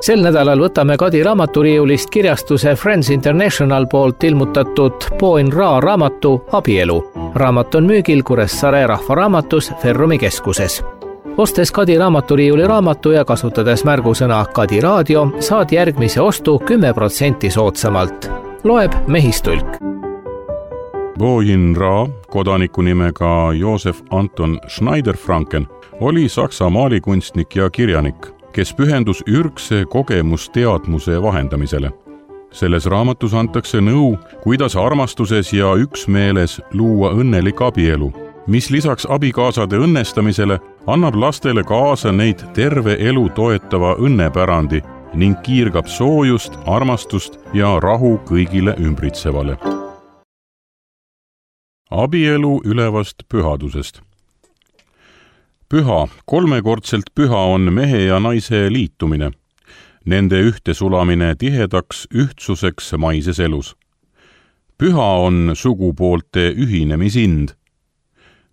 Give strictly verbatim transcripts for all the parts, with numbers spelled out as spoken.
Sel nädalal võtame Kadi raamaturiiulist kirjastuse Friends International poolt ilmutatud Poin Ra raamatu Abielu. Raamat on müügil Kuressaare rahvaraamatus Ferrumi keskuses. Ostes Kadi raamaturiiuli raamatu ja kasutades märgusõna Kadi raadio, saad järgmise ostu kümme protsenti soodsamalt. Loeb Mehistulk. Poin Ra, kodaniku nimega Josef Anton Schneider-Franken, oli saksa maalikunstnik ja kirjanik, kes pühendus ürgse kogemusteadmuse vahendamisele. Selles raamatus antakse nõu, kuidas armastuses ja üksmeeles luua õnnelik abielu, mis lisaks abikaasade õnnestamisele annab lastele kaasa neid terve elu toetava õnnepärandi ning kiirgab soojust, armastust ja rahu kõigile ümbritsevale. Abielu ülevast pühadusest. Püha, kolmekordselt püha on mehe ja naise liitumine, nende ühtesulamine tihedaks ühtsuseks maises elus. Püha on sugupoolte ühinemisind.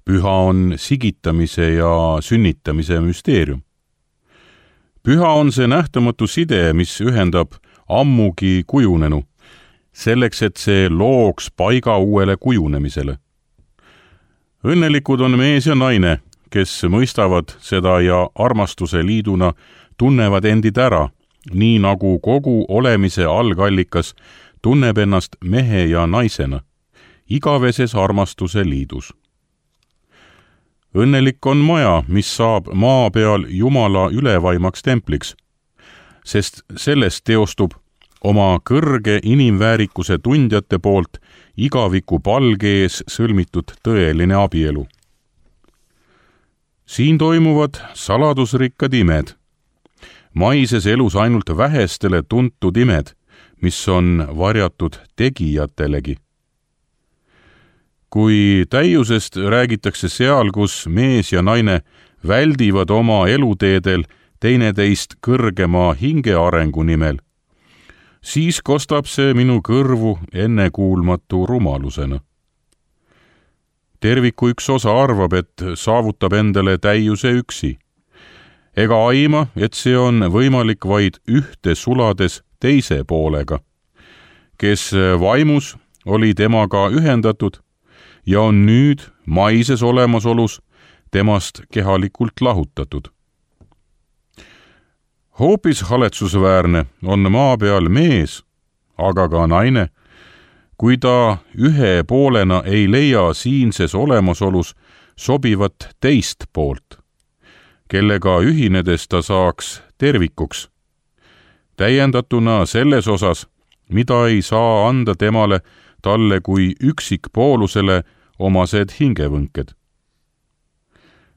Püha on sigitamise ja sünnitamise müsteerium. Püha on see nähtamatu side, mis ühendab ammugi kujunenu, selleks, et see looks paiga uuele kujunemisele. Õnnelikud on mees ja naine, kes mõistavad seda ja armastuse liiduna tunnevad endid ära, nii nagu kogu olemise algallikas tunneb ennast mehe ja naisena, igaveses armastuse liidus. Õnnelik on maja, mis saab maa peal Jumala ülevaimaks templiks, sest sellest teostub oma kõrge inimväärikuse tundjate poolt igaviku palge ees sõlmitud tõeline abielu. Siin toimuvad saladusrikkad imed. Maises elus ainult vähestele tuntud imed, mis on varjatud tegijatelegi. Kui täiusest räägitakse seal, kus mees ja naine väldivad oma eluteedel teineteist kõrgema hingearengu nimel, siis kostab see minu kõrvu ennekuulmatu rumalusena. Terviku üks osa arvab, et saavutab endale täiuse üksi. Ega aima, et see on võimalik vaid ühte sulades teise poolega, kes vaimus oli temaga ühendatud ja on nüüd maises olemasolus temast kehalikult lahutatud. Hoopis haletsusväärne on maa peal mees, aga ka naine, kui ta ühe poolena ei leia siinses olemasolus sobivat teist poolt, kellega ühinedes ta saaks tervikuks, täiendatuna selles osas, mida ei saa anda temale talle kui üksikpoolusele omased hingevõnked.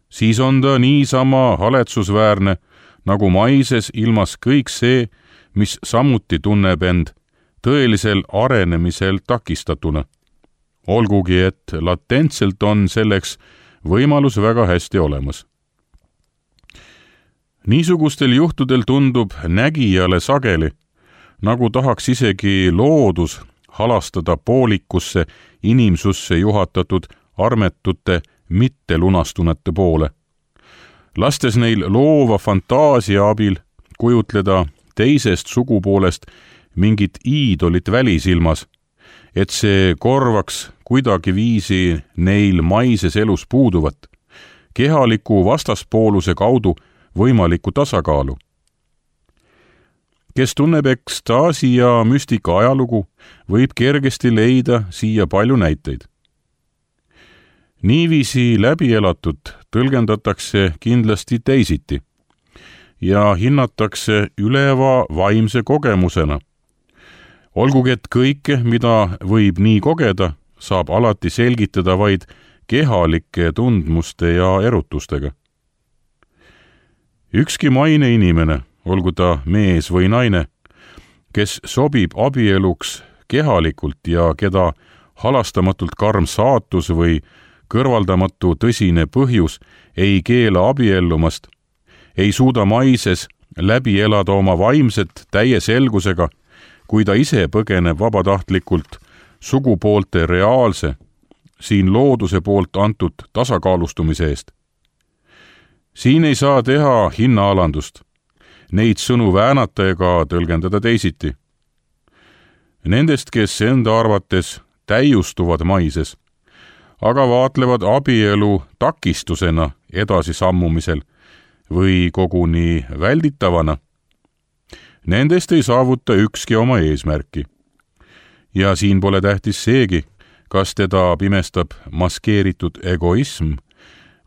Siis on ta niisama haletsusväärne, nagu maises ilmas kõik see, mis samuti tunneb end tõelisel arenemisel takistatuna. Olgugi, et latentselt on selleks võimalus väga hästi olemas. Niisugustel juhtudel tundub nägijale sageli, nagu tahaks isegi loodus halastada poolikusse inimsusse juhatatud armetute mittelunastunete poole, lastes neil loova fantaasia abil kujutleda teisest sugupoolest mingit iidolit välisilmas, et see korvaks kuidagiviisi neil maises elus puuduvat, kehaliku vastaspooluse kaudu võimaliku tasakaalu. Kes tunneb ekstaasi ja müstika ajalugu, võib kergesti leida siia palju näiteid. Niiviisi läbielatud tõlgendatakse kindlasti teisiti ja hinnatakse üleva vaimse kogemusena. Olgugi, et kõike, mida võib nii kogeda, saab alati selgitada vaid kehalike tundmuste ja erutustega. Ükski maine inimene, olgu ta mees või naine, kes sobib abieluks kehalikult ja keda halastamatult karm saatus või kõrvaldamatu tõsine põhjus ei keela abiellumast, ei suuda maises läbi elada oma vaimset täie selgusega, kui ta ise põgeneb vabatahtlikult sugupoolte reaalse, siin looduse poolt antud tasakaalustumise eest. Siin ei saa teha hinnaalandust. neid sõnu väänata ega tõlgendada teisiti. Nendest, kes enda arvates täiustuvad maises, aga vaatlevad abielu takistusena edasisammumisel või koguni välditavana, nendest ei saavuta ükski oma eesmärki. Ja siin pole tähtis seegi, kas teda pimestab maskeeritud egoism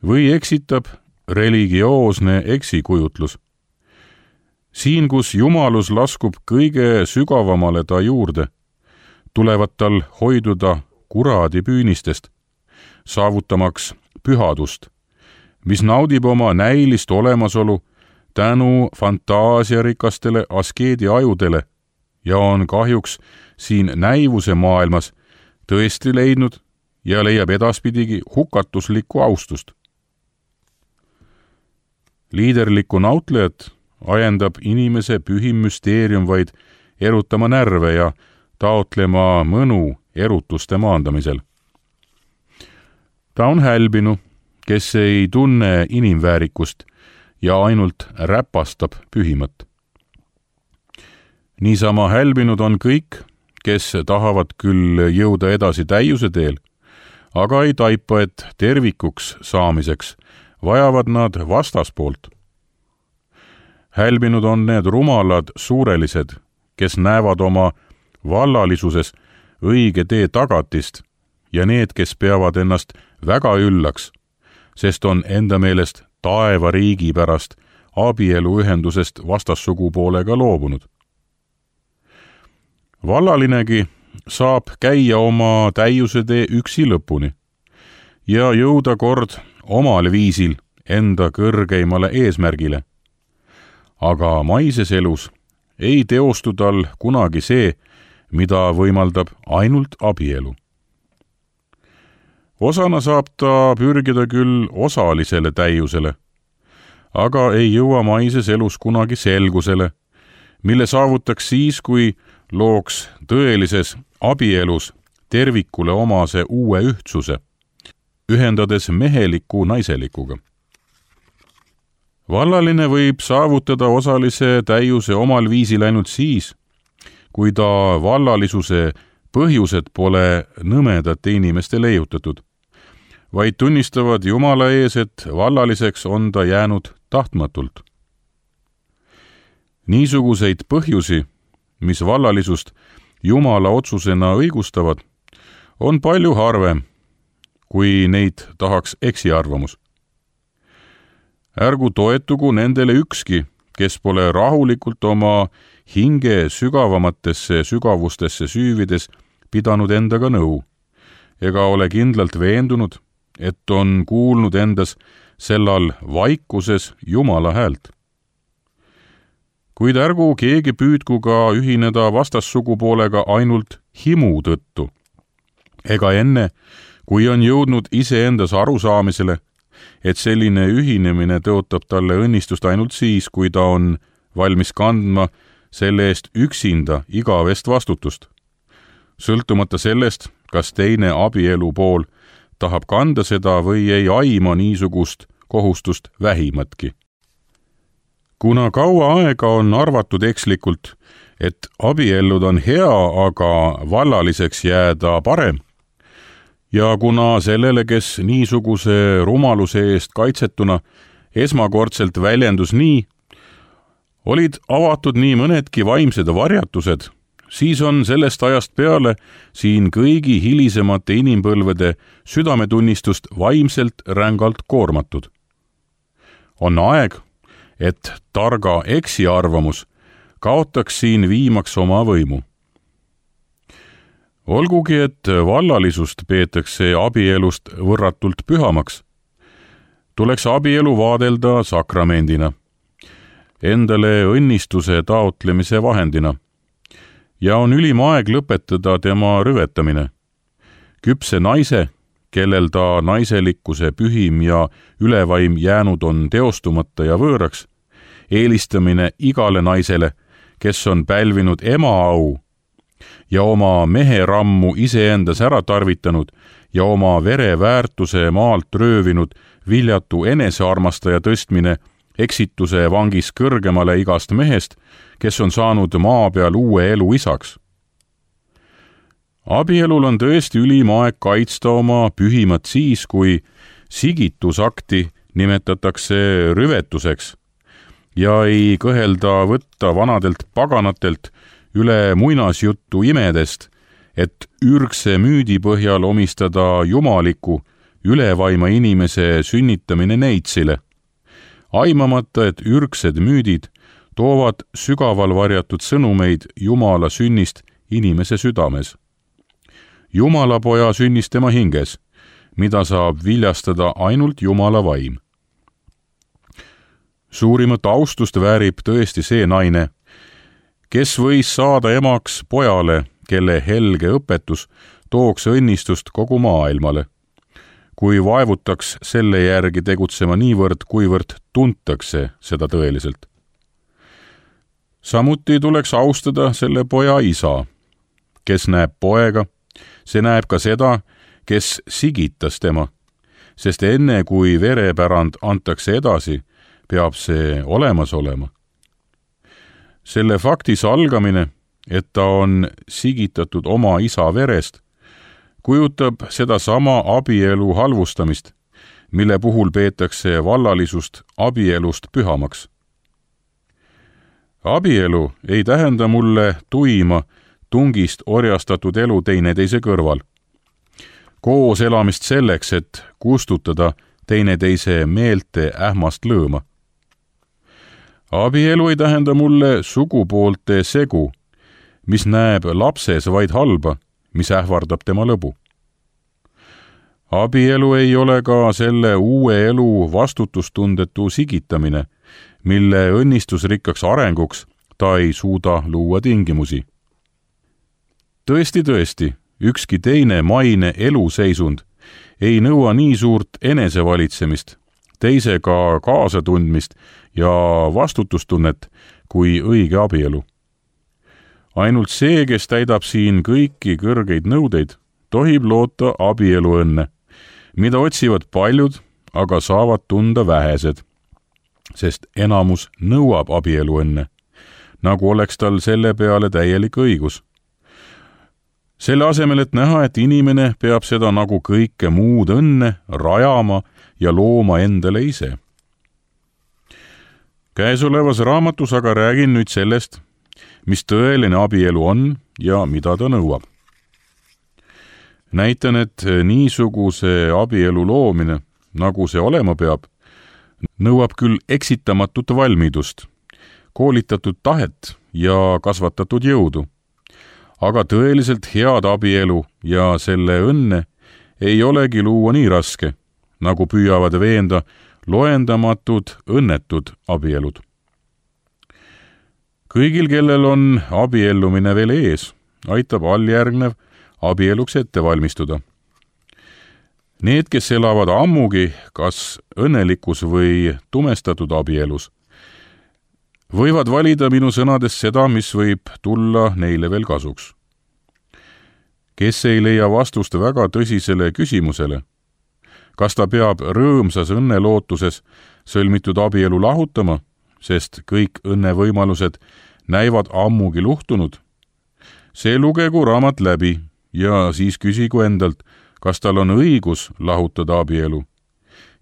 või eksitab religioosne eksikujutlus. Siin, kus jumalus laskub kõige sügavamale ta juurde, tulevad tal hoiduda kuradi püünistest, saavutamaks pühadust, mis naudib oma näilist olemasolu tänu fantaasiarikastele askeedi ajudele ja on kahjuks siin näivuse maailmas tõesti leidnud ja leiab edaspidigi hukatuslikku austust. Liiderlikku nautlejat ajendab inimese pühim müsteerium vaid erutama närve ja taotlema mõnu erutuste maandamisel. Ta on hälbinu, kes ei tunne inimväärikust ja ainult räpastab pühimat. Niisama hälbinud on kõik, kes tahavad küll jõuda edasi täiuse teel, aga ei taipa, et tervikuks saamiseks vajavad nad vastaspoolt. Hälbinud on need rumalad suurelised, kes näevad oma vallalisuses õige tee tagatist ja need, kes peavad ennast väga üllaks, sest on enda meelest taeva riigi pärast abieluühendusest vastassugupoolega loobunud. Vallalinegi saab käia oma täiuse tee üksi lõpuni ja jõuda kord omal viisil enda kõrgeimale eesmärgile. Aga maises elus ei teostu tal kunagi see, mida võimaldab ainult abielu. Osana saab ta pürgida küll osalisele täiusele, aga ei jõua maises elus kunagi selgusele, mille saavutaks siis, kui looks tõelises abielus tervikule omase uue ühtsuse, ühendades meheliku naiselikuga. Vallaline võib saavutada osalise täiuse omal viisil ainult siis, kui ta vallalisuse põhjused pole nõmedate inimeste leiutatud, vaid tunnistavad Jumala ees, et vallaliseks on ta jäänud tahtmatult. Niisuguseid põhjusi, mis vallalisust Jumala otsusena õigustavad, on palju harvem, kui neid tahaks eksiarvamus. Ärgu toetugu nendele ükski, kes pole rahulikult oma hinge sügavamatesse sügavustesse süüvides pidanud endaga nõu, ega ole kindlalt veendunud, et on kuulnud endas sellal vaikuses Jumala häält. Kuid ärgu keegi püüdku ka ühineda vastassugupoolega ainult himu tõttu, ega enne, kui on jõudnud iseendas arusaamisele, et selline ühinemine tõotab talle õnnistust ainult siis, kui ta on valmis kandma selle eest üksinda igavest vastutust, sõltumata sellest, kas teine abielu pool tahab kanda seda või ei aima niisugust kohustust vähimatki. Kuna kaua aega on arvatud ekslikult, et abiellud on hea, aga vallaliseks jääda parem, ja kuna sellele, kes niisuguse rumaluse eest kaitsetuna esmakordselt väljendus nii, olid avatud nii mõnedki vaimsed varjatused, siis on sellest ajast peale siin kõigi hilisemate inimpõlvede südametunnistust vaimselt rängalt koormatud. On aeg, et targa eksiarvamus kaotaks siin viimaks oma võimu. Olgugi, et vallalisust peetakse abielust võrratult pühamaks, tuleks abielu vaadelda sakramendina, endale õnnistuse taotlemise vahendina, ja on ülim aeg lõpetada tema rüvetamine. Küpse naise, kellel ta naiselikkuse pühim ja ülevaim jäänud on teostumata ja võõraks, eelistamine igale naisele, kes on pälvinud ema au ja oma mehe rammu iseendas ära tarvitanud ja oma vere väärtuse maalt röövinud viljatu enesearmastaja tõstmine eksituse vangis kõrgemale igast mehest, kes on saanud maa peal uue elu isaks. Abielul on tõesti ülim aeg kaitsta oma pühimat siis, kui sigitusakti nimetatakse rüvetuseks ja ei kõhelda võtta vanadelt paganatelt üle muinasjuttu imedest, et ürgse müüdi põhjal omistada jumaliku ülevaima inimese sünnitamine neitsile, aimamata, et ürgsed müüdid toovad sügaval varjatud sõnumeid Jumala sünnist inimese südames. Jumala poja sünnis tema hinges, mida saab viljastada ainult Jumala vaim. Suurimat austust väärib tõesti see naine, kes võis saada emaks pojale, kelle helge õpetus tooks õnnistust kogu maailmale, kui vaevutaks selle järgi tegutsema niivõrd, kuivõrd tuntakse seda tõeliselt. Samuti tuleks austada selle poja isa, kes näeb poega, see näeb ka seda, kes sigitas tema, sest enne kui verepärand antakse edasi, peab see olemas olema. Selle fakti salgamine, et ta on sigitatud oma isa verest, kujutab seda sama abielu halvustamist, mille puhul peetakse vallalisust abielust pühamaks. Abielu ei tähenda mulle tuima tungist orjastatud elu teineteise kõrval. Koos elamist selleks, et kustutada teineteise meelte ähmast lõõma. Abielu ei tähenda mulle sugupoolte segu, mis näeb lapses vaid halba, mis ähvardab tema lõbu. Abielu ei ole ka selle uue elu vastutustundetu sigitamine, mille õnnistusrikkaks arenguks ta ei suuda luua tingimusi. Tõesti, tõesti, ükski teine maine eluseisund ei nõua nii suurt enesevalitsemist, teisega kaasatundmist ja vastutustunnet kui õige abielu. Ainult see, kes täidab siin kõiki kõrgeid nõudeid, tohib loota abielu õnne, mida otsivad paljud, aga saavad tunda vähesed, sest enamus nõuab abielu õnne, nagu oleks tal selle peale täielik õigus. Selle asemel, et näha, et inimene peab seda nagu kõike muud õnne rajama ja looma endale ise. Käesolevas raamatus aga räägin nüüd sellest, mis tõeline abielu on ja mida ta nõuab. Näitan, et niisuguse abielu loomine, nagu see olema peab, nõuab küll eksitamatut valmidust, koolitatud tahet ja kasvatatud jõudu, aga tõeliselt head abielu ja selle õnne ei olegi luua nii raske, nagu püüavad veenda loendamatud õnnetud abielud. Kõigil, kellel on abiellumine veel ees, aitab alljärgnev abieluks ette valmistuda. Need, kes elavad ammugi kas õnnelikus või tumestatud abielus, võivad valida minu sõnades seda, mis võib tulla neile veel kasuks. Kes ei leia vastust väga tõsisele küsimusele, kas ta peab rõõmsas õnnelootuses sõlmitud abielu lahutama, sest kõik õnnevõimalused näivad ammugi luhtunud, see lugegu raamat läbi ja siis küsigu endalt, kas tal on õigus lahutada abielu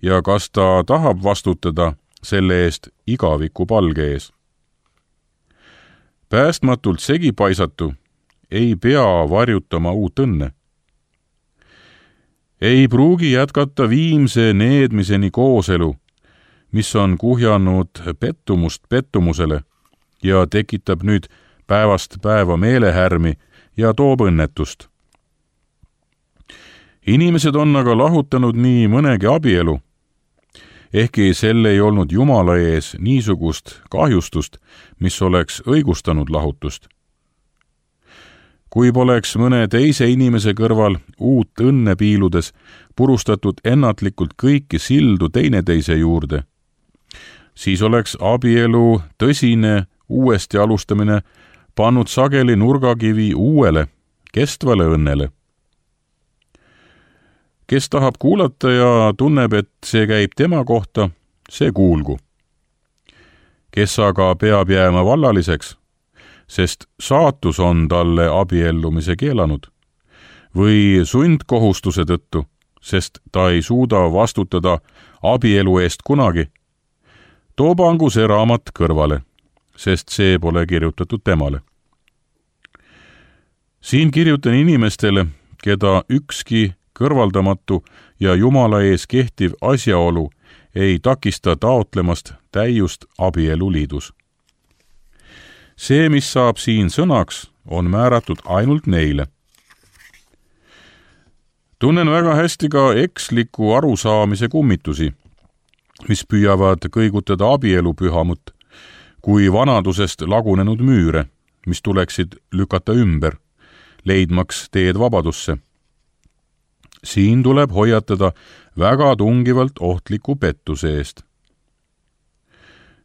ja kas ta tahab vastutada selle eest igaviku palge ees. Päästmatult segipaisatu ei pea varjutama uut õnne. Ei pruugi jätkata viimse needmiseni kooselu, mis on kuhjanud pettumust pettumusele ja tekitab nüüd päevast päeva meelehärmi ja toob õnnetust. Inimesed on aga lahutanud nii mõnegi abielu, ehkki selle ei olnud Jumala ees niisugust kahjustust, mis oleks õigustanud lahutust. Kui poleks mõne teise inimese kõrval uut õnne piiludes purustatud ennatlikult kõiki sildu teineteise juurde, siis oleks abielu tõsine uuesti alustamine pannud sageli nurgakivi uuele, kestvale õnnele. Kes tahab kuulata ja tunneb, et see käib tema kohta, see kuulgu. kes aga peab jääma vallaliseks, sest saatus on talle abiellumise keelanud, või sundkohustuse tõttu, sest ta ei suuda vastutada abielu eest kunagi, too pangu see raamat kõrvale, sest see pole kirjutatud temale. Siin kirjutan inimestele, keda ükski kõrvaldamatu ja Jumala ees kehtiv asjaolu ei takista taotlemast täiust abieluliidus. See, mis saab siin sõnaks, on määratud ainult neile. Tunnen väga hästi ka eksliku arusaamise kummitusi, mis püüavad kõigutada abielu pühamut kui vanadusest lagunenud müüre, mis tuleksid lükata ümber, leidmaks teed vabadusse. Siin tuleb hoiatada väga tungivalt ohtliku pettuse eest.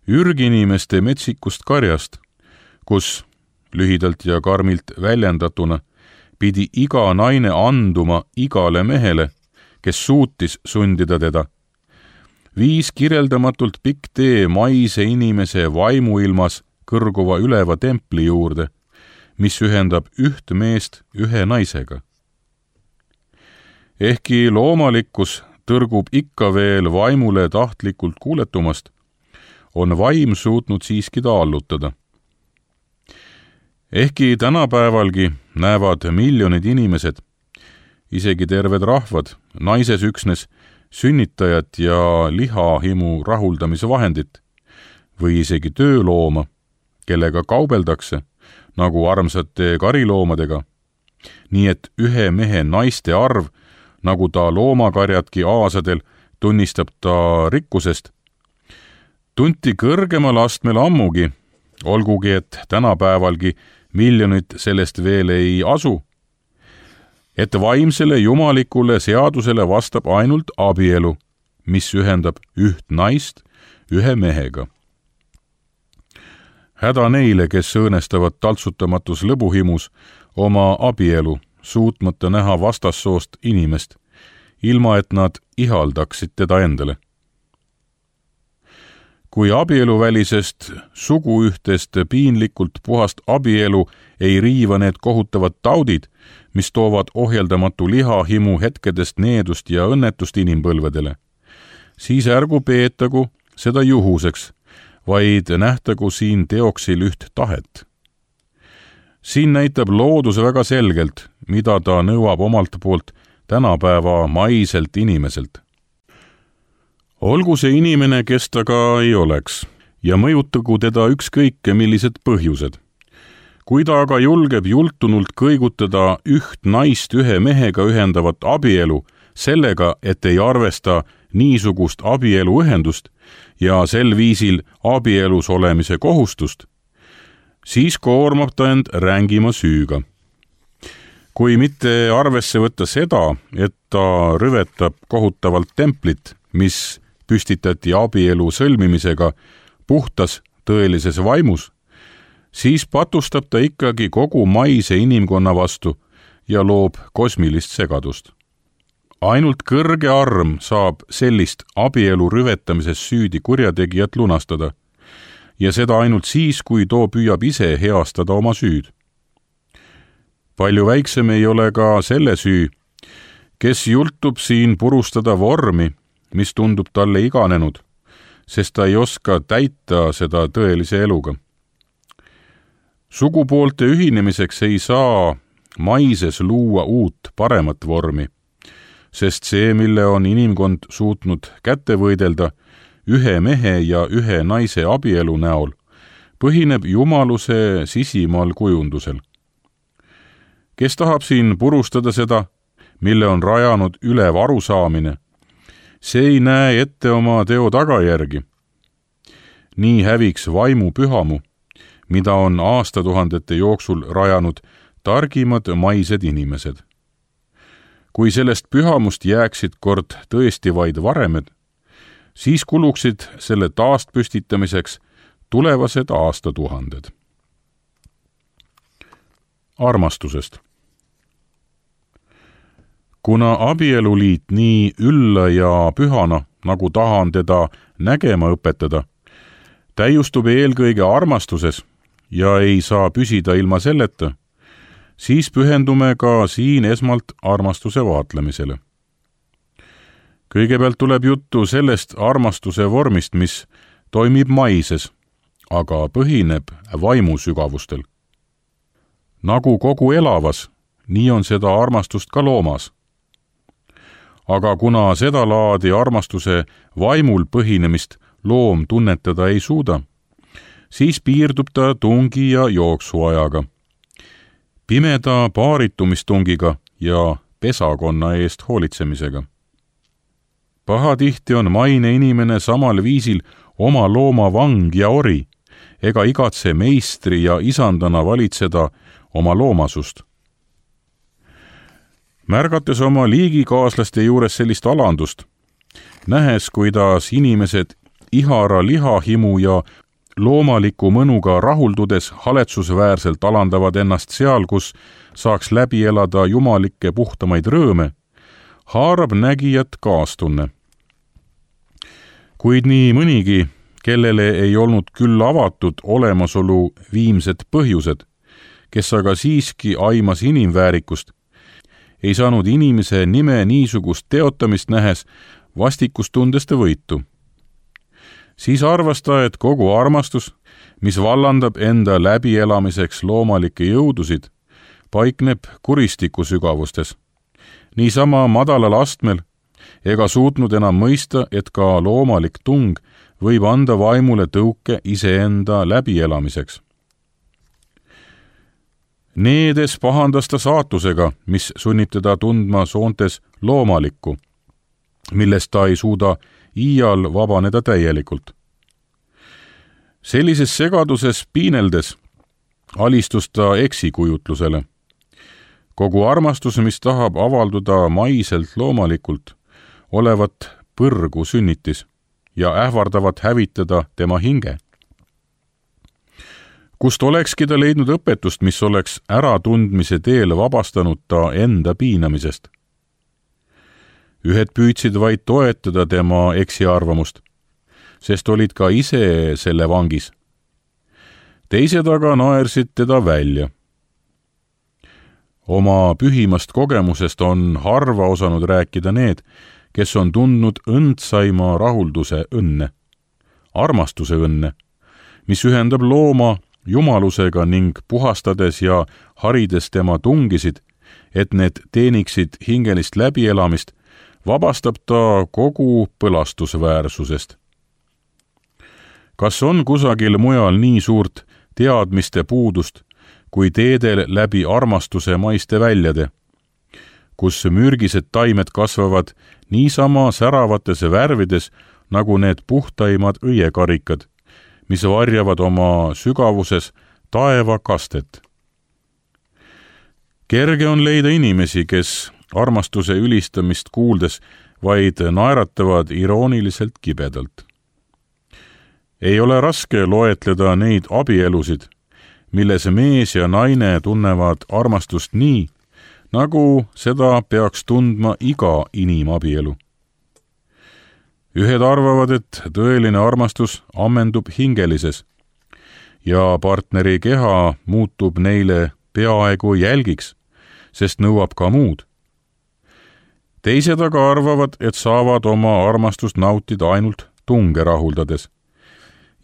Ürginimeste metsikust karjast, kus, lühidalt ja karmilt väljendatuna, pidi iga naine anduma igale mehele, kes suutis sundida teda, viis kirjeldamatult pikk tee maise inimese vaimuilmas kõrguva üleva templi juurde, mis ühendab üht meest ühe naisega. Ehkki loomalikkus tõrgub ikka veel vaimule tahtlikult kuuletumast, on vaim suutnud siiski ta allutada. Ehkki tänapäevalgi näevad miljonid inimesed, isegi terved rahvad, naises üksnes sünnitajat ja lihahimu rahuldamise vahendit või isegi töölooma, kellega kaubeldakse, nagu armsate kariloomadega, nii et ühe mehe naiste arv, nagu ta loomakarjatki aasadel, tunnistab ta rikkusest, tunti kõrgemal astmel ammugi, olgugi et tänapäevalgi miljonid sellest veel ei asu, et vaimsele jumalikule seadusele vastab ainult abielu, mis ühendab üht naist ühe mehega. Häda neile, kes õõnestavad taltsutamatus lõbuhimus oma abielu, suutmata näha vastassoost inimest, ilma et nad ihaldaksid teda endale. Kui abieluvälisest suguühtest piinlikult puhast abielu ei riiva need kohutavad taudid, mis toovad ohjeldamatu lihahimu hetkedest needust ja õnnetust inimpõlvedele, siis ärgu peetagu seda juhuseks, vaid nähtagu siin teoksil üht tahet. Siin näitab loodus väga selgelt, mida ta nõuab omalt poolt tänapäeva maiselt inimeselt. Olgu see inimene, kes ta ka ei oleks, ja mõjutagu teda ükskõike millised põhjused. Kui ta aga julgeb jultunult kõigutada üht naist ühe mehega ühendavat abielu sellega, et ei arvesta niisugust abieluühendust ja sel viisil abielus olemise kohustust, siis koormab ta end rängima süüga. Kui mitte arvesse võtta seda, et ta rüvetab kohutavalt templit, mis püstitati abielu sõlmimisega puhtas tõelises vaimus, siis patustab ta ikkagi kogu maise inimkonna vastu ja loob kosmilist segadust. Ainult kõrge arm saab sellist abielu rüvetamises süüdi kurjategijat lunastada, ja seda ainult siis, kui too püüab ise heastada oma süüd. Palju väiksem ei ole ka selle süü, kes jultub siin purustada vormi, mis tundub talle iganenud, sest ta ei oska täita seda tõelise eluga. Sugupoolte ühinemiseks ei saa maises luua uut paremat vormi, sest see, mille on inimkond suutnud kätte võidelda ühe mehe ja ühe naise abielu näol, põhineb jumaluse sisimal kujundusel. Kes tahab siin purustada seda, mille on rajanud ülev arusaamine, see ei näe ette oma teo tagajärgi. Nii häviks vaimu pühamu, mida on aastatuhandete jooksul rajanud targimad maised inimesed. Kui sellest pühamust jääksid kord tõesti vaid varemed, siis kuluksid selle taastpüstitamiseks tulevased aastatuhanded. Armastusest. Kuna abieluliit nii ülla ja pühana, nagu tahan teda nägema õpetada, täiustub eelkõige armastuses ja ei saa püsida ilma selleta, siis pühendume ka siin esmalt armastuse vaatlemisele. Kõigepealt tuleb juttu sellest armastuse vormist, mis toimib maises, aga põhineb vaimusügavustel. Nagu kogu elavas, nii on seda armastust ka loomas. Aga kuna seda laadi armastuse vaimul põhinemist loom tunnetada ei suuda, siis piirdub ta tungi ja jooksuajaga, pimeda paaritumistungiga ja pesakonna eest hoolitsemisega. Pahatihti on maine inimene samal viisil oma looma vang ja ori, ega igatse meistri ja isandana valitseda oma loomasust. Märgates oma liigikaaslaste juures sellist alandust, nähes, kuidas inimesed ihara lihahimu ja loomaliku mõnuga rahuldudes haletsusväärselt alandavad ennast seal, kus saaks läbi elada jumalikke puhtamaid rõõme, haarab nägijat kaastunne. Kuid nii mõnigi, kellele ei olnud küll avatud olemasolu viimsed põhjused, kes aga siiski aimas inimväärikust, ei saanud inimese nime niisugust teotamist nähes vastikustundeste võitu. Siis arvas ta, et kogu armastus, mis vallandab enda läbielamiseks loomalikke jõudusid, paikneb kuristiku sügavustes. Niisama madalal astmel ega suutnud enam mõista, et ka loomalik tung võib anda vaimule tõuke iseenda läbielamiseks. Needes pahandas ta saatusega, mis sunnib teda tundma soontes loomalikku, millest ta ei suuda iial vabaneda täielikult. Sellises segaduses piineldes alistus ta eksikujutlusele. Kogu armastus, mis tahab avalduda maiselt loomalikult, olevat põrgu sünnitis ja ähvardavat hävitada tema hinge. Kust olekski ta leidnud õpetust, mis oleks äratundmise teel vabastanud ta enda piinamisest. Ühed püüdsid vaid toetada tema eksiarvamust, sest olid ka ise selle vangis. Teised aga naersid teda välja. Oma pühimast kogemusest on harva osanud rääkida need, kes on tundnud õndsaima rahulduse õnne, armastuse õnne, mis ühendab looma jumalusega ning puhastades ja harides tema tungisid, et need teeniksid hingelist läbielamist, vabastab ta kogu põlastusväärsusest. Kas on kusagil mujal nii suurt teadmiste puudust, kui teedel läbi armastuse maiste väljade, kus mürgised taimed kasvavad niisama säravates värvides, nagu need puhtaimad õiekarikad, mis varjavad oma sügavuses taeva kastet. Kerge on leida inimesi, kes armastuse ülistamist kuuldes vaid naeratavad irooniliselt kibedalt. Ei ole raske loetleda neid abielusid, milles mees ja naine tunnevad armastust nii, nagu seda peaks tundma iga inimabielu. Ühed arvavad, et tõeline armastus ammendub hingelises ja partneri keha muutub neile peaaegu jälgiks, sest nõuab ka muud. Teised aga arvavad, et saavad oma armastust nautida ainult tunge rahuldades.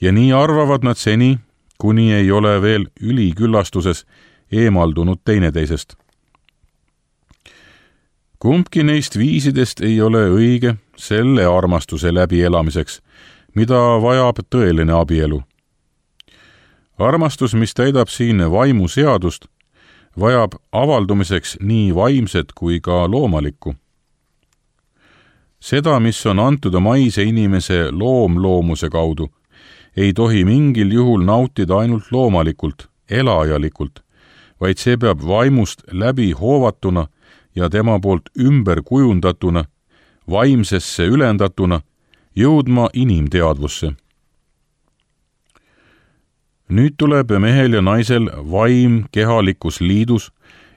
Ja nii arvavad nad seni, kuni ei ole veel üliküllastuses eemaldunud teineteisest. Kumbki neist viisidest ei ole õige selle armastuse läbielamiseks, mida vajab tõeline abielu. Armastus, mis täidab siin vaimu seadust, vajab avaldumiseks nii vaimset kui ka loomalikku. Seda, mis on antud maise inimese loomloomuse kaudu, ei tohi mingil juhul nautida ainult loomalikult, elajalikult, vaid see peab vaimust läbi hoovatuna ja tema poolt ümber kujundatuna, vaimsesse ülendatuna, jõudma inimteadvusse. Nüüd tuleb mehel ja naisel vaim kehalikus liidus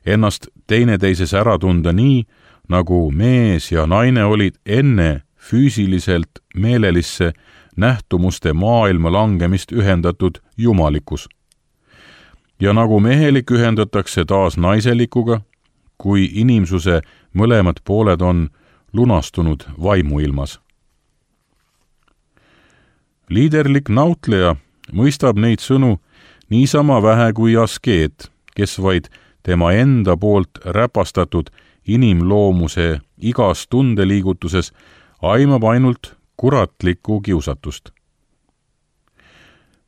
ennast teineteises ära tunda nii, nagu mees ja naine olid enne füüsiliselt meelelisse nähtumuste maailma langemist ühendatud jumalikkus. Ja nagu mehelik ühendatakse taas naiselikuga, kui inimsuse mõlemad pooled on lunastunud vaimuilmas. Liiderlik nautleja mõistab neid sõnu niisama vähe kui askeet, kes vaid tema enda poolt räpastatud inimloomuse igas tundeliigutuses aimab ainult kuratlikku kiusatust.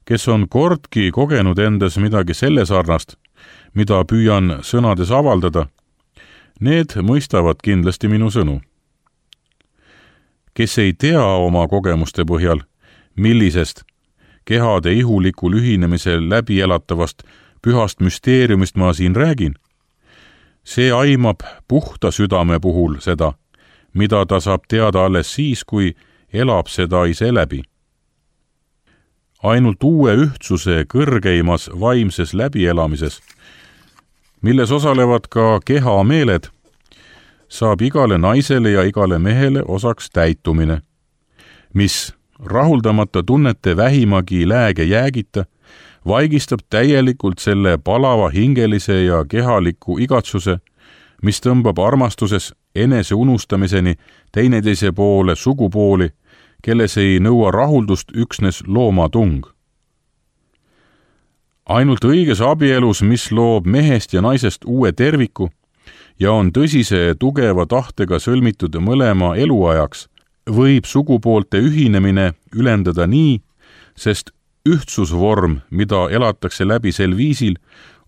Kes on kordki kogenud endas midagi selle sarnast, mida püüan sõnades avaldada, need mõistavad kindlasti minu sõnu. Kes ei tea oma kogemuste põhjal, millisest kehade ihulikul ühinemisel läbi elatavast pühast müsteeriumist ma siin räägin, see aimab puhta südame puhul seda, mida ta saab teada alles siis, kui elab seda ise läbi. Ainult uue ühtsuse kõrgeimas vaimses läbielamises, milles osalevad ka kehameeled, saab igale naisele ja igale mehele osaks täitumine, mis rahuldamata tunnete vähimagi lääge jäägita, vaigistab täielikult selle palava hingelise ja kehaliku igatsuse, mis tõmbab armastuses enese unustamiseni teineteise poole sugupooli, kelles ei nõua rahuldust üksnes loomatung. Ainult õiges abielus, mis loob mehest ja naisest uue terviku ja on tõsise tugeva tahtega sõlmitud mõlema eluajaks, võib sugupoolte ühinemine ülendada nii, sest ühtsusvorm, mida elatakse läbi sel viisil,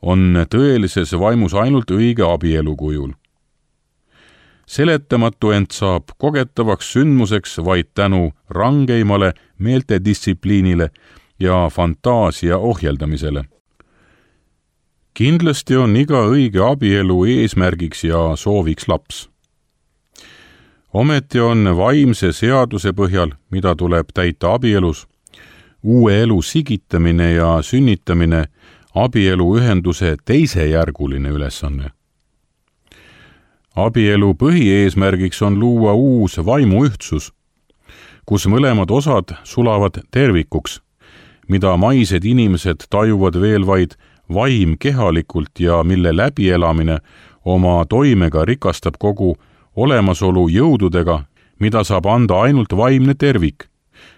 on tõelises vaimus ainult õige abielu kujul. Seletamatu ent saab kogetavaks sündmuseks vaid tänu rangeimale meeltedistsipliinile ja fantaasia ohjeldamisele. Kindlasti on iga õige abielu eesmärgiks ja sooviks laps. Ometi on vaimse seaduse põhjal, mida tuleb täita abielus, uue elu sigitamine ja sünnitamine abielu ühenduse teisejärguline ülesanne. Abielu põhieesmärgiks on luua uus vaimuühtsus, kus mõlemad osad sulavad tervikuks, mida maised inimesed tajuvad veel vaid vaim kehalikult ja mille läbielamine oma toimega rikastab kogu olemasolu jõududega, mida saab anda ainult vaimne tervik,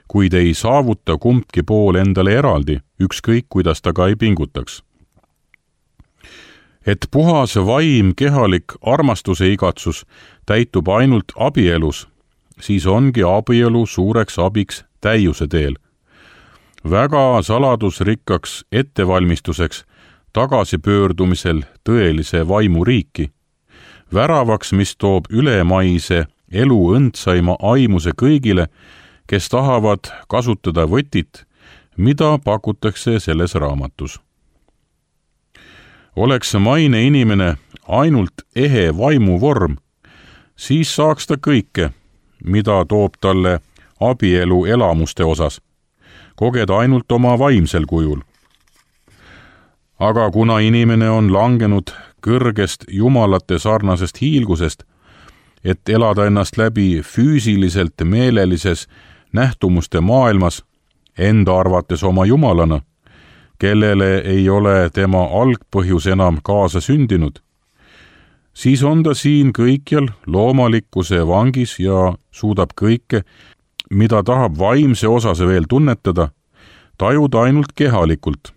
kuid ei saavuta kumbki pool endale eraldi, ükskõik kuidas ta ka ei pingutaks. Et puhas vaim kehalik armastuse igatsus täitub ainult abielus, siis ongi abielu suureks abiks täiuse teel. Väga saladusrikkaks ettevalmistuseks tagasipöördumisel tõelise vaimu riiki, väravaks, mis toob ülemaise elu õndsaima aimuse kõigile, kes tahavad kasutada võtit, mida pakutakse selles raamatus. Oleks maine inimene ainult ehe vaimu vorm, siis saaks ta kõike, mida toob talle abielu elamuste osas, kogeda ainult oma vaimsel kujul. Aga kuna inimene on langenud kõrgest jumalate sarnasest hiilgusest, et elada ennast läbi füüsiliselt meelelises nähtumuste maailmas, enda arvates oma jumalana, kellele ei ole tema algpõhjus enam kaasa sündinud, siis on ta siin kõikjal loomalikkuse vangis ja suudab kõike, mida tahab vaimse osas veel tunnetada, tajuda ainult kehalikult,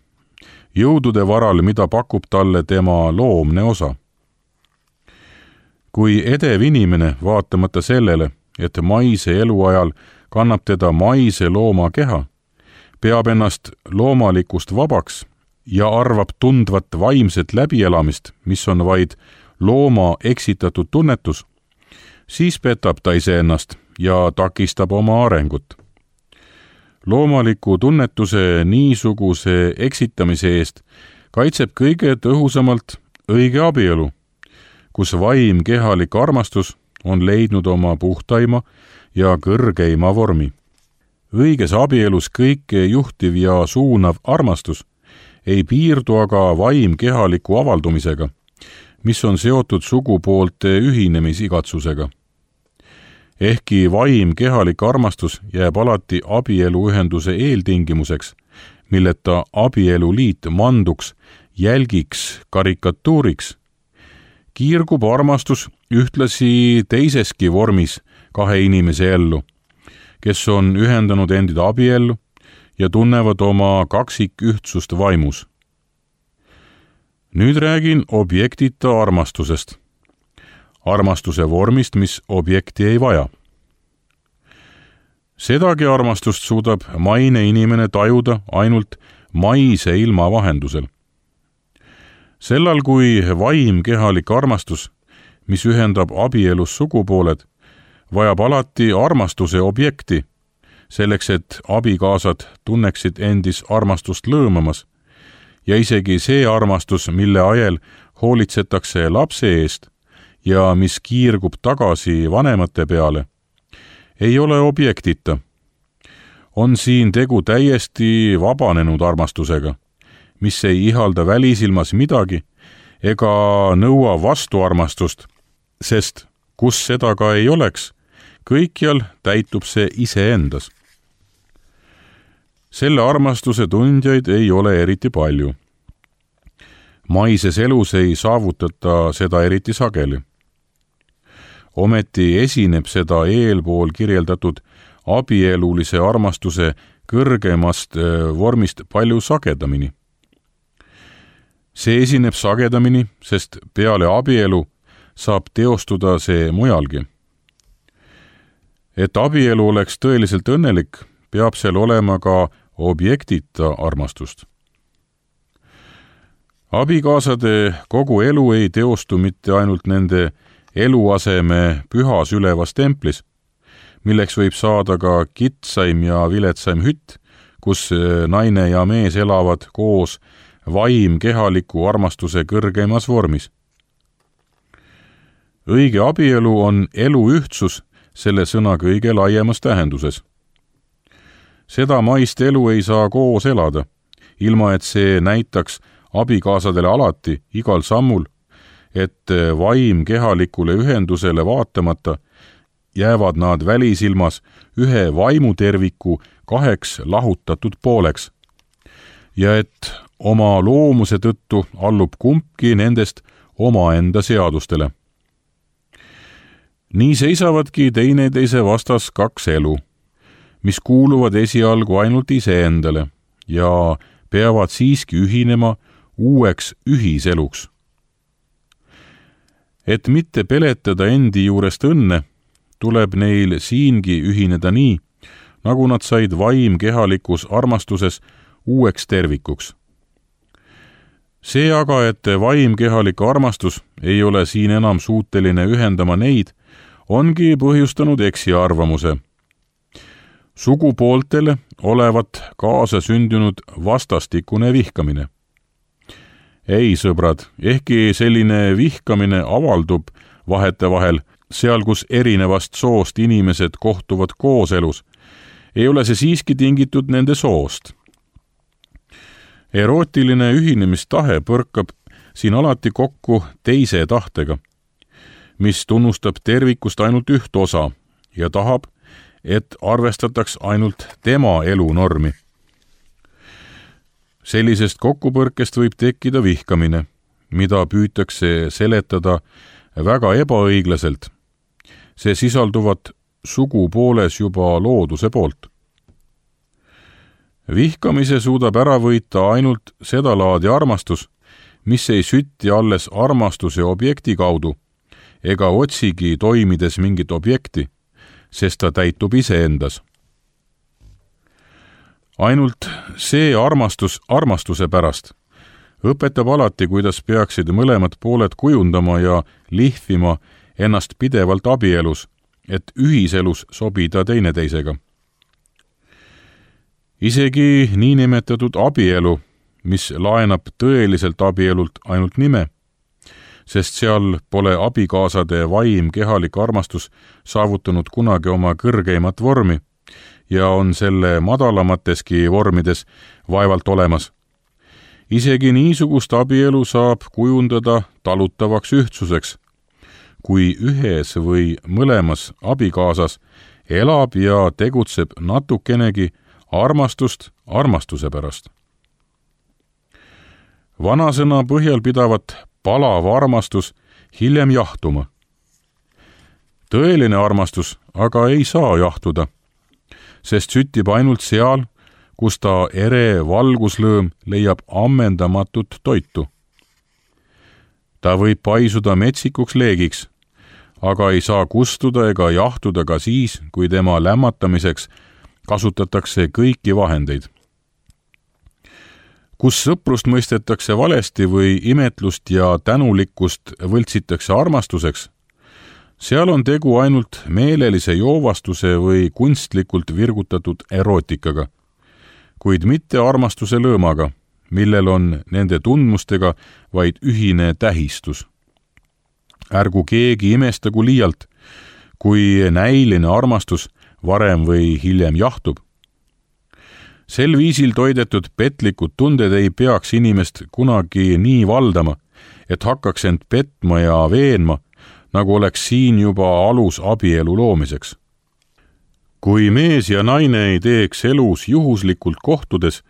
jõudude varal, mida pakub talle tema loomne osa. Kui edev inimene, vaatamata sellele, et maise eluajal kannab teda maise looma keha, peab ennast loomalikust vabaks ja arvab tundvat vaimset läbielamist, mis on vaid looma eksitatud tunnetus, siis petab ta iseennast ja takistab oma arengut. Loomaliku tunnetuse niisuguse eksitamise eest kaitseb kõige tõhusamalt õige abielu, kus vaim kehalik armastus on leidnud oma puhtaima ja kõrgeima vormi. Õiges abielus kõike juhtiv ja suunav armastus ei piirdu aga vaim kehaliku avaldumisega, mis on seotud sugupoolte ühinemisikatsusega. ehkki vaim kehalik armastus jääb alati abieluühenduse eeltingimuseks, milleta abieluliit manduks jälgiks karikatuuriks, kiirgub armastus ühtlasi teiseski vormis kahe inimese ellu, kes on ühendanud endid abiellu ja tunnevad oma kaksikühtsust vaimus. Nüüd räägin objektita armastusest. Armastuse vormist, mis objekti ei vaja. Sedagi armastust suudab maine inimene tajuda ainult maise ilma vahendusel. Sellal, kui vaim kehalik armastus, mis ühendab abielus sugupooled, vajab alati armastuse objekti, selleks et abikaasad tunneksid endis armastust lõõmamas, ja isegi see armastus, mille ajel hoolitsetakse lapse eest ja mis kiirgub tagasi vanemate peale, ei ole objektita. On siin tegu täiesti vabanenud armastusega, mis ei ihalda välisilmas midagi ega nõua vastuarmastust, sest kus seda ka ei oleks, kõikjal täitub see iseendas. Selle armastuse tundjaid ei ole eriti palju. Maises elus ei saavutata seda eriti sageli. Ometi esineb seda eelpool kirjeldatud abielulise armastuse kõrgemast vormist palju sagedamini. See esineb sagedamini, sest peale abielu saab teostuda see mujalgi. Et abielu oleks tõeliselt õnnelik, peab seal olema ka objektita armastust. Abikaasade kogu elu ei teostu mitte ainult nende eluaseme pühas ülevas templis, milleks võib saada ka kitsaim ja viletsaim hütt, kus naine ja mees elavad koos vaim kehaliku armastuse kõrgeimas vormis. Õige abielu on elu ühtsus selle sõna kõige laiemas tähenduses. Seda maist elu ei saa koos elada, ilma et see näitaks abikaasadele alati, igal sammul, et vaim kehalikule ühendusele vaatamata jäävad nad välisilmas ühe vaimuterviku kaheks lahutatud pooleks ja et oma loomuse tõttu allub kumbki nendest omaenda seadustele. Nii seisavadki teineteise vastas kaks elu, mis kuuluvad esialgu ainult iseendale ja peavad siiski ühinema uueks ühiseluks. Et mitte peletada endi juurest õnne, tuleb neil siingi ühineda nii, nagu nad said vaim kehalikus armastuses uueks tervikuks. See aga, et vaim kehalik armastus ei ole siin enam suuteline ühendama neid, ongi põhjustanud eksiarvamuse. Sugupooltele olevat kaasa sündinud vastastikune vihkamine. Ei, sõbrad, ehkki selline vihkamine avaldub vahetevahel, seal kus erinevast soost inimesed kohtuvad kooselus, ei ole see siiski tingitud nende soost. Erootiline ühinemistahe põrkab siin alati kokku teise tahtega, mis tunnustab tervikust ainult üht osa ja tahab, et arvestataks ainult tema elunormi. Sellisest kokkupõrkest võib tekkida vihkamine, mida püütakse seletada väga ebaõiglaselt. See sisalduvat sugupooles juba looduse poolt. Vihkamise suudab ära võita ainult seda laadi armastus, mis ei sütti alles armastuse objekti kaudu ega otsigi toimides mingit objekti, sest ta täitub iseendas. Ainult see armastus armastuse pärast õpetab alati, kuidas peaksid mõlemad pooled kujundama ja lihvima ennast pidevalt abielus, et ühiselus sobida teineteisega. Isegi niinimetatud abielu, mis laenab tõeliselt abielult ainult nime, sest seal pole abikaasade vaim kehalik armastus saavutanud kunagi oma kõrgeimat vormi ja on selle madalamateski vormides vaevalt olemas. Isegi niisugust abielu saab kujundada talutavaks ühtsuseks, kui ühes või mõlemas abikaasas elab ja tegutseb natukenegi armastust armastuse pärast. Vanasõna põhjal pidavat palav armastus hiljem jahtuma. Tõeline armastus aga ei saa jahtuda, sest süttib ainult seal, kus ta ere valguslõõm leiab ammendamatut toitu. Ta võib paisuda metsikuks leegiks, aga ei saa kustuda ega jahtuda ka siis, kui tema lämmatamiseks kasutatakse kõiki vahendeid. Kus sõprust mõistetakse valesti või imetlust ja tänulikkust võltsitakse armastuseks, seal on tegu ainult meelelise joovastuse või kunstlikult virgutatud erootikaga, kuid mitte armastuse lõõmaga, millel on nende tundmustega vaid ühine tähistus. Ärgu keegi imestagu liialt, kui näiline armastus varem või hiljem jahtub. Sel viisil toidetud petlikud tunded ei peaks inimest kunagi nii valdama, et hakkaks end petma ja veenma, nagu oleks siin juba alus abielu loomiseks. Kui mees ja naine ei teeks elus juhuslikult kohtudes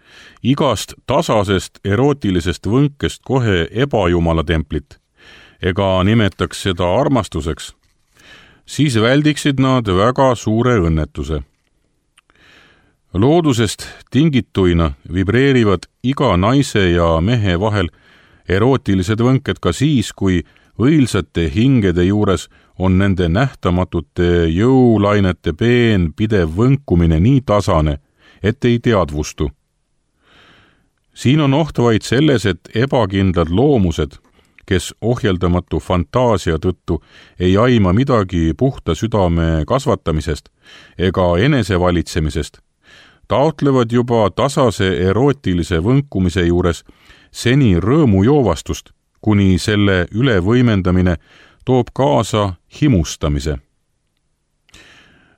igast tasasest erootilisest võnkest kohe ebajumala templit ega nimetaks seda armastuseks, siis väldiksid nad väga suure õnnetuse. Loodusest tingituina vibreerivad iga naise ja mehe vahel erootilised võnked ka siis, kui õilsate hingede juures on nende nähtamatute jõulainete peen pidev võnkumine nii tasane, et ei teadvustu. Siin on oht vaid selles, et ebakindlad loomused, kes ohjeldamatu fantaasia tõttu ei aima midagi puhta südame kasvatamisest ega enesevalitsemisest, taotlevad juba tasase erootilise võnkumise juures seni rõõmujoovastust, kuni selle ülevõimendamine toob kaasa himustamise.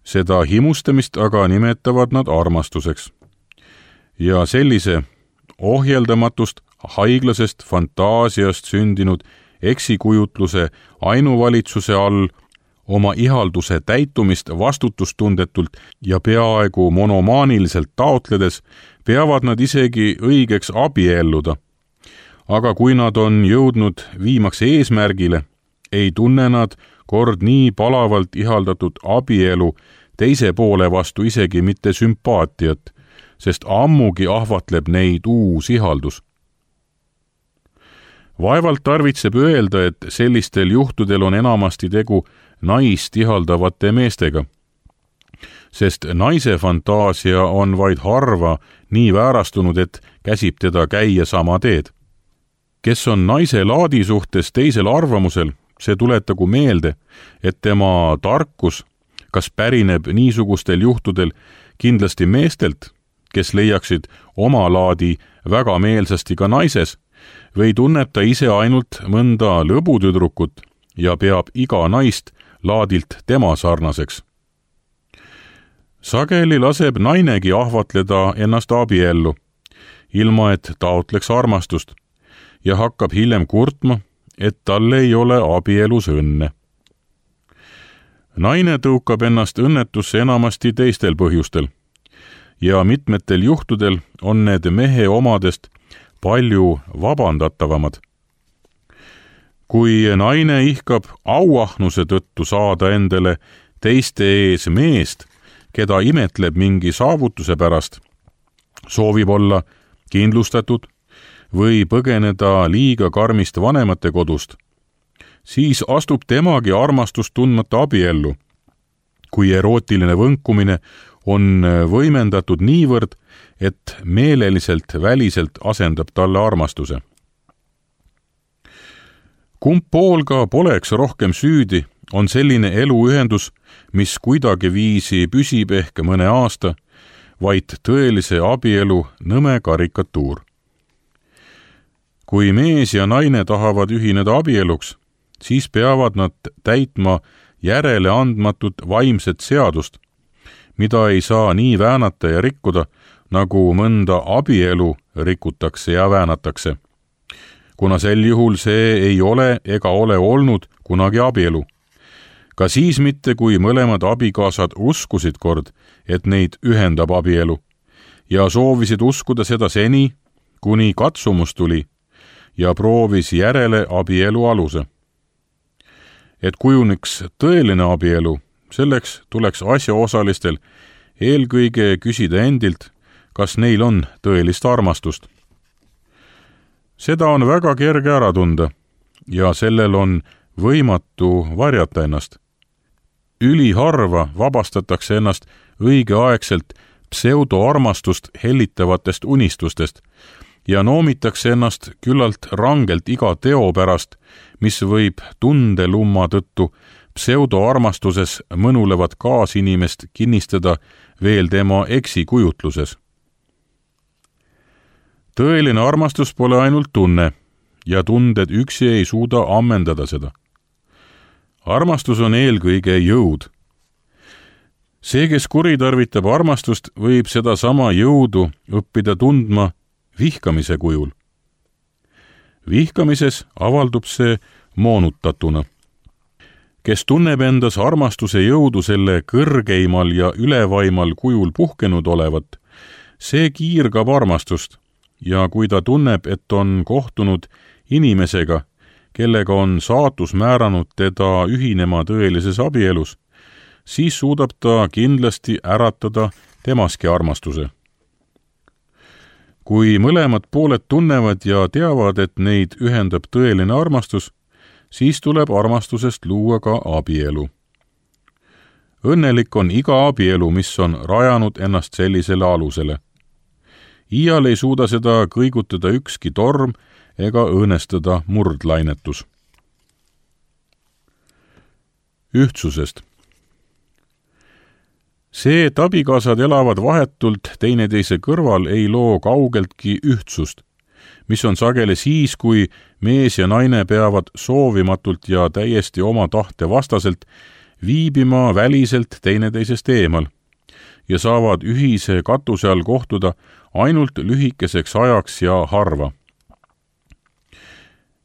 Seda himustamist aga nimetavad nad armastuseks. Ja sellise ohjeldamatust haiglasest fantaasiast sündinud eksikujutluse ainuvalitsuse all oma ihalduse täitumist vastutustundetult ja peaaegu monomaaniliselt taotledes peavad nad isegi õigeks abielluda. Aga kui nad on jõudnud viimaks eesmärgile, ei tunne nad kord nii palavalt ihaldatud abielu teise poole vastu isegi mitte sümpaatiat, sest ammugi ahvatleb neid uus ihaldus. Vaevalt tarvitseb öelda, et sellistel juhtudel on enamasti tegu naist ihaldavate meestega, sest naise fantaasia on vaid harva nii väärastunud, et käsib teda käia sama teed. Kes on naise laadi suhtes teisel arvamusel, see tuletagu meelde, et tema tarkus, kas pärineb niisugustel juhtudel kindlasti meestelt, kes leiaksid oma laadi väga meelsasti ka naises, või tunneb ta ise ainult mõnda lõbutüdrukut ja peab iga naist laadilt tema sarnaseks. Sageli laseb nainegi ahvatleda ennast abiellu, ilma et taotleks armastust, ja hakkab hiljem kurtma, et tal ei ole abielus õnne. Naine tõukab ennast õnnetusse enamasti teistel põhjustel ja mitmetel juhtudel on need mehe omadest palju vabandatavamad. Kui naine ihkab auahnuse tõttu saada endale teiste ees meest, keda imetleb mingi saavutuse pärast, soovib olla kindlustatud või põgeneda liiga karmist vanemate kodust, siis astub temagi armastust tundmata abiellu, kui erootiline võnkumine on võimendatud niivõrd, et meeleliselt väliselt asendab talle armastuse. Kumb pool ka poleks rohkem süüdi, on selline eluühendus, mis kuidagi viisi püsib ehk mõne aasta, vaid tõelise abielu nõme karikatuur. Kui mees ja naine tahavad ühineda abieluks, siis peavad nad täitma järele andmatut vaimset seadust, mida ei saa nii väänata ja rikkuda, nagu mõnda abielu rikutakse ja väänatakse, kuna sel juhul see ei ole ega ole olnud kunagi abielu, ka siis mitte, kui mõlemad abikaasad uskusid kord, et neid ühendab abielu ja soovisid uskuda seda seni, kuni katsumus tuli ja proovis järele abielu aluse. Et kujuniks tõeline abielu, selleks tuleks asjaosalistel eelkõige küsida endilt, kas neil on tõelist armastust. Seda on väga kerge ära tunda ja sellel on võimatu varjata ennast. Üliharva vabastatakse ennast õigeaegselt pseudoarmastust hellitavatest unistustest ja noomitakse ennast küllalt rangelt iga teo pärast, mis võib tundelumma tõttu pseudoarmastuses mõnulevat kaasinimest kinnistada veel tema eksikujutluses. Tõeline armastus pole ainult tunne ja tunded üksi ei suuda ammendada seda. Armastus on eelkõige jõud. See, kes kuritarvitab armastust, võib seda sama jõudu õppida tundma vihkamise kujul. Vihkamises avaldub see moonutatuna. Kes tunneb endas armastuse jõudu selle kõrgeimal ja ülevaimal kujul puhkenud olevat, see kiirgab armastust ja kui ta tunneb, et on kohtunud inimesega, kellega on saatus määranud teda ühinema tõelises abielus, siis suudab ta kindlasti äratada temaski armastuse. Kui mõlemad pooled tunnevad ja teavad, et neid ühendab tõeline armastus, siis tuleb armastusest luua ka abielu. Õnnelik on iga abielu, mis on rajanud ennast sellisele alusele. Iial ei suuda seda kõigutada ükski torm ega õõnestada murdlainetus. Ühtsusest. See, et abikaasad elavad vahetult teineteise kõrval, ei loo kaugeltki ühtsust, mis on sageli siis, kui mees ja naine peavad soovimatult ja täiesti oma tahte vastaselt viibima väliselt teineteisest eemal ja saavad ühise katuse all kohtuda ainult lühikeseks ajaks ja harva.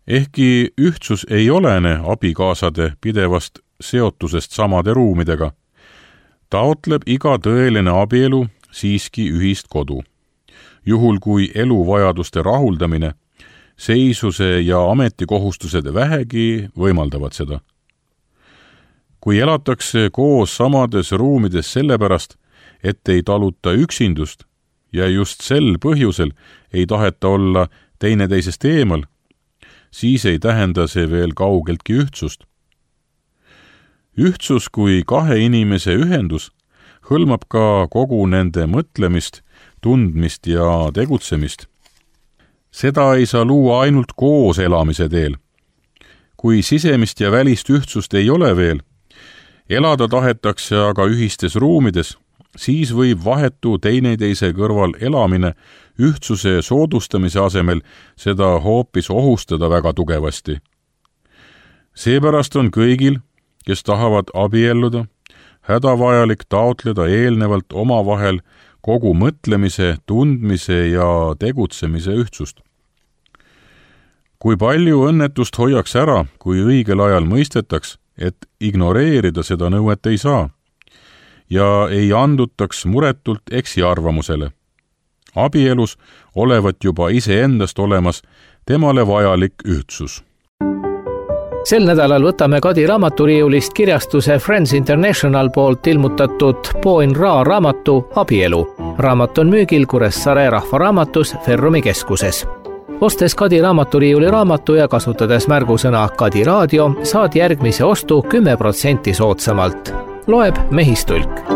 Ehkki ühtsus ei olene abikaasade pidevast seotusest samade ruumidega, taotleb iga tõeline abielu siiski ühist kodu. Juhul kui eluvajaduste rahuldamine, seisuse ja ametikohustused vähegi võimaldavad seda. Kui elatakse koos samades ruumides sellepärast, et ei taluta üksindust ja just sel põhjusel ei taheta olla teineteisest eemal, siis ei tähenda see veel kaugeltki ühtsust. Ühtsus kui kahe inimese ühendus hõlmab ka kogu nende mõtlemist, tundmist ja tegutsemist. Seda ei saa luua ainult koos elamise teel. Kui sisemist ja välist ühtsust ei ole veel, elada tahetakse aga ühistes ruumides, siis võib vahetu teineteise kõrval elamine ühtsuse soodustamise asemel seda hoopis ohustada väga tugevasti. Seepärast on kõigil, kes tahavad abielluda, hädavajalik taotleda eelnevalt omavahel kogu mõtlemise, tundmise ja tegutsemise ühtsust. Kui palju õnnetust hoiaks ära, kui õigel ajal mõistetaks, et ignoreerida seda nõuet ei saa ja ei andutaks muretult eksiarvamusele. Abielus olevat juba iseendast olemas temale vajalik ühtsus. Sel nädalal võtame Kadi raamaturiiulist kirjastuse Friends International poolt ilmutatud Poin Ra raamatu Abielu. Raamat on müügil Kuressaare rahvaraamatus Ferrumi keskuses. Ostes Kadi raamaturiiuli raamatu ja kasutades märgusõna Kadi raadio, saad järgmise ostu kümme protsenti soodsamalt. Loeb Mehistulk.